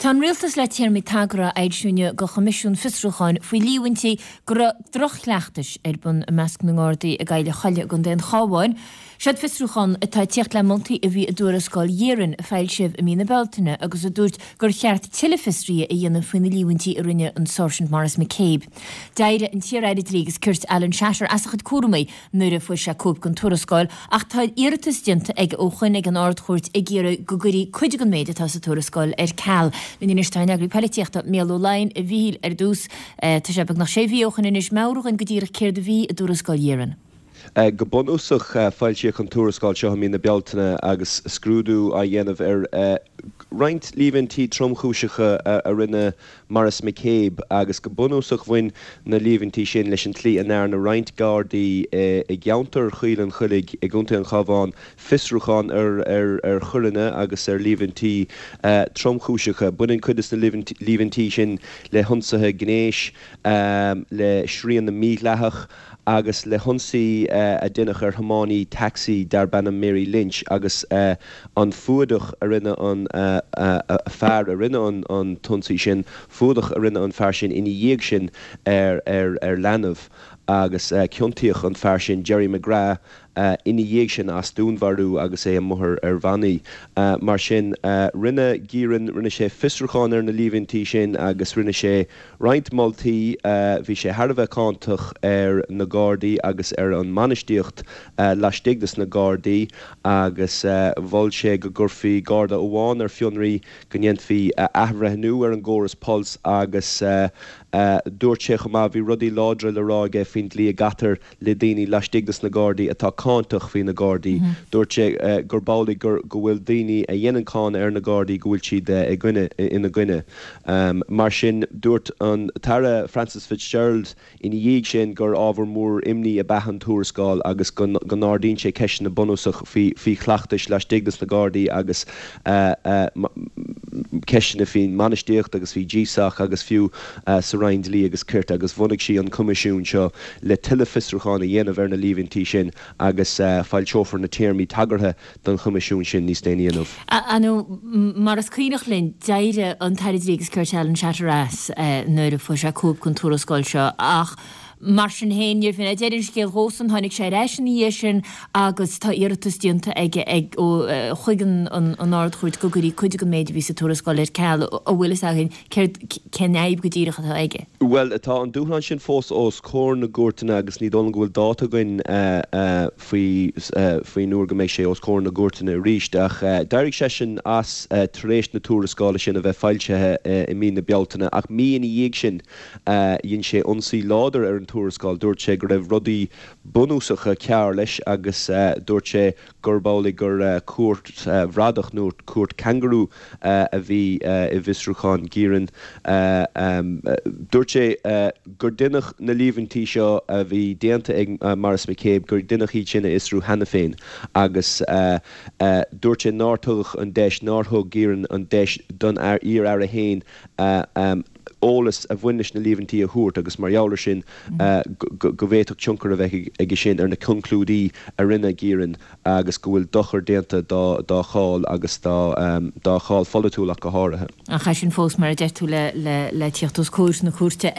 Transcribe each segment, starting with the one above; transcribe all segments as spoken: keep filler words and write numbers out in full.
Tá an Rialtas le téarmaí tagartha a fhoilsiú inniu do Choimisiún Fiosrúcháin faoi líomhaintí go raibh droch-chleachtais ar bun i measc na nGardaí i gCoill an Chollaigh i gContae an Chabháin. Seod fiosrúchán atá ag tíocht le moltaí a bhí i dtuarascáil Ghearan a foilsíodh i mí na Bealtaine agus a dúirt gur cheart tuilleadh fiosraithe a dhéanamh faoi na líomhaintí a rinne an Sáirsint Maurice McCabe. D'éirigh an t-iar-aire Dlí agus Cirt Alan Shatter as a chuid cúramaí nuair a fuair sé cóip den tuarascáil ach tá iarratas déanta aige ó shoin ag an Ard-Chúirt ag iarraidh go gcuirfí cuid den méid atá sa tuarascáil ar ceal. Linn anois tá an eagraí polaitíochta Mícheál Ó Laighin. A Mhíchíl, ar dtús, tá sé beagnach sé mhí ó shoin anois, meabhraigh dhúinn go díreach céard a bhí i dtuarascáil Ghearan. Go bunúsach, foilsíodh an tuarascáil seo i mí na Bealtaine agus scrúdú á dhéanamh ar roinnt líomhaintí tromchúiseacha a rinne Maurice McCabe agus go bunúsach bhain na líomhaintí sin leis an tslí a ndearna roinnt Gardaí i gceantar Choill an Chollaigh i gContae an Chabháin fiosrúchán ar choireanna agus ar líomhaintí tromchúiseacha. Baineann cuid de na líomhaintí sin le hionsaithe gnéis, le srianadh mídhleathach agus le hionsaí a deineadh ar thiománaí tacsaí darb ainm Mary Lynch agus an fuadach a rinne an fear a rinne an t-ionsaí sin, fuadach a rinne an fear sin ina dhiaidh sin ar ar leanbh agus ciontaíodh an fear sin, Gerry McGrath, ina dhiaidh sin as dúnmharú agus é amuigh ar bhannaí. Mar sin, rinne Gearan, rinne sé fiosrúchán ar na líomhaintí sin agus rinne sé roinnt moltaí. Bhí sé thar a bheith cáinteach ar na Gardaí agus ar an mbainistíocht laistigh des na Gardaí agus mhol sé go gcuirfí Garda amháin ar fionraí, go ndéanfaí athbhreithniú ar an gcóras Pulse agus dúirt sé chomh maith, bhí rudaí láidre le rá aige faoin dlí a gcaitear le daoine laistigh des na Gardaí atá cáinteach faoi na Gardaí. Dúirt sé gurb amhlaidh go bhfuil daoine a dhéanann cáineadh ar na Gardaí go bhfuil siad i gcoinne ina gcoinne. Mar sin, dúirt an tAire Frances Fitzgerald ina dhiaidh sin gur ábhar mór imní ab ea an tuarascáil agus go n-ardaíonn sé ceisteanna bunúsach faoi chleachtais laistigh des na Gardaí agus ceisteanna faoin mbainistíocht agus faoi G S O C agus fiú sa Roinn Dlí agus Cirt agus bhunaigh sí an coimisiún seo le tuilleadh fiosrúchán a dhéanamh ar na líomhaintí sin agus foilseofar na téarmaí tagartha don choimisiún sin níos déanaí inniu. Nó mar is cuimhneach linn, d'éirigh an tAire Dlí agus Cirt Alan Shatter as nuair a fuair sé cóip den tuarascáil seo ach mar sin féin, níorbh in é deireadh an scéil dhósan, tháinig sé ar ais ina dhiaidh sin agus tá iarratas déanta aige ag chuig an an Ard-Chúirt go gcuirfí cuid den méid a bhí sa tuarascáil ar ceal. An bhfuil fhios againn céard, cén fhadhb go díreach atá aige? Bhuel, tá an dúshlán sin fós os comhair na gcúirteanna agus ní dóigh liom go bhfuil dáta againn faoi faoin uair go mbeidh sé os comhair na gcúirteanna arís. Ach d'éirigh seisean as tar éis na tuarascála sin a bheith foilsithe i mí na Bealtaine ach mí ina dhiaidh sin dhein sé ionsaí láidir ar an tuarascáil. Dúirt sé go raibh rudaí bunúsacha cearr leis agus dúirt sé gurb amhlaidh gur cúirt bhradach nó cúirt cangarú a bhí i bhfiosrúchán Geiran. Dúirt sé gur deineadh na líomhaintí seo a bhí déanta ag Maurice McCabe, gur deineadh iad sin a fhiosrú cheana féin agus dúirt sé nár tugadh an deis, nár thug Geiran an deis don iar-aire féin eolas a bhain leis na líomhaintí a thabhairt agus mar gheall air sin go bhféadfadh tionchar a bheith aige sin ar na conclúidí a rinne Geiran agus go bhfuil dochar déanta dá cháil agus dá cháil pholaitiúil ach go háirithe. Ach é sin fós, mar a deir tú, le tíocht os comhair na cúirte.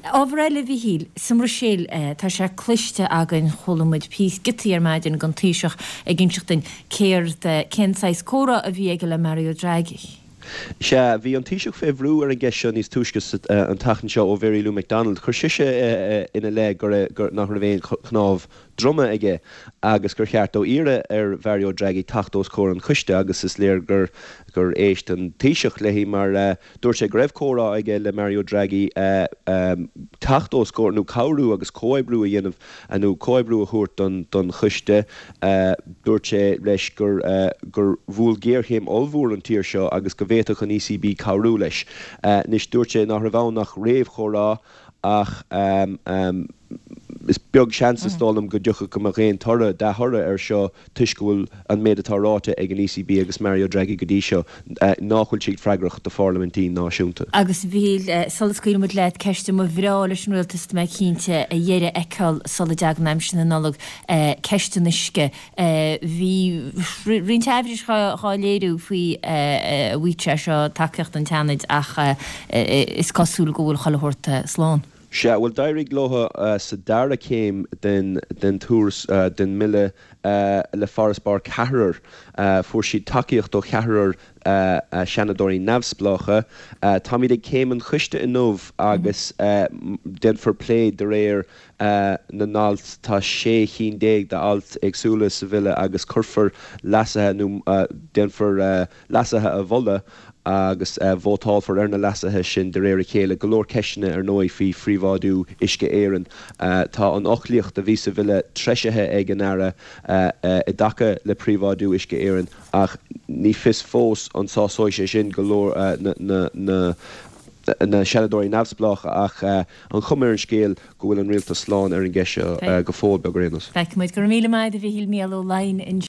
Ábhar eile, a Mhíchíl, sa mBruiséil, tá sé cloiste againn, chuala muid píosa giotaí ar maidin den Taoiseach ag inseacht duinn céard, cén saghas comhrá a bhí aige le Mario Draghi. Sea, bhí an Taoiseach fé bhrú ar an gceist seo níos túisce an tseachtain seo ó Mhary Lou McDonald. Chuir sise ina leith gur nach raibh aon chnámh droma aige agus gur cheart dó iarraidh ar Mhario Draghi teacht os comhair an choiste agus is léir gur gur éist an Taoiseach léi mar dúirt sé go raibh comhrá aige le Mario Draghi teacht os comhair nó cabhrú agus comhoibriú a dhéanamh nó comhoibriú a thabhairt don don choiste. Dúirt sé leis gur gur bhuail géarchéim ollmhór an tír seo agus go bhféadfadh an E C B cabhrú leis. Anois dúirt sé nach raibh ann ach réamhchomhrá ach Is beag seans, is dóigh liom, go dtiocfadh go mbeadh aon toradh, dea-thoradh air seo toisc go bhfuil an méid atá ráite ag an ECB agus Mario Draghi go dtí seo, nach bhfuil siad freagrach do pharlaimintí náisiúnta. Agus a Mhíchíl, sula scaoilfidh muid leat, ceist a mba bhreá leis an Rialtas, tá mé cinnte, a dheireadh a fheiceáil sula dtagann aimsir na Nollag, ceist an uisce. Bhí roinnt aimhris dhá léiriú faoi an bhfaigheadh sé seo tacaíocht an tSeanaid ach is cosúil go bhfuil chuile shórt slán. Sea, bhuel, d'éirigh leo sa dara céim den den turas den mbille le farasbarr ceathrar. Fuair siad tacaíocht ó cheathrar seanadóirí neamhspleácha. Táimid ag céim an choiste inniu agus déanfar plé de réir na n-alt. Tá sé chinn déag d'ailt éagsúla sa bhille agus cuirfear leasuithe nó déanfar leasuithe a mholadh agus vótálfar ar na leasuithe sin de réir a chéile. Go leor ceisteanna, ar ndóigh, faoi phríobháidiú Uisce Éireann. Tá an fhoclaíocht a bhí sa bhille treisithe ag an Aire i dtaca le príobháidiú Uisce Éireann ach ní fios fós an sásóidh sé sin go leor na na Seanadóirí neamhspleácha ach an chuma ar an scéal go bhfuil an Rialtas slán ar an gceist seo go fóill beag ar aon nós. Feicfimid. Go raibh míle maith agat a Mhíchíl, Mícheál Ó Laighin.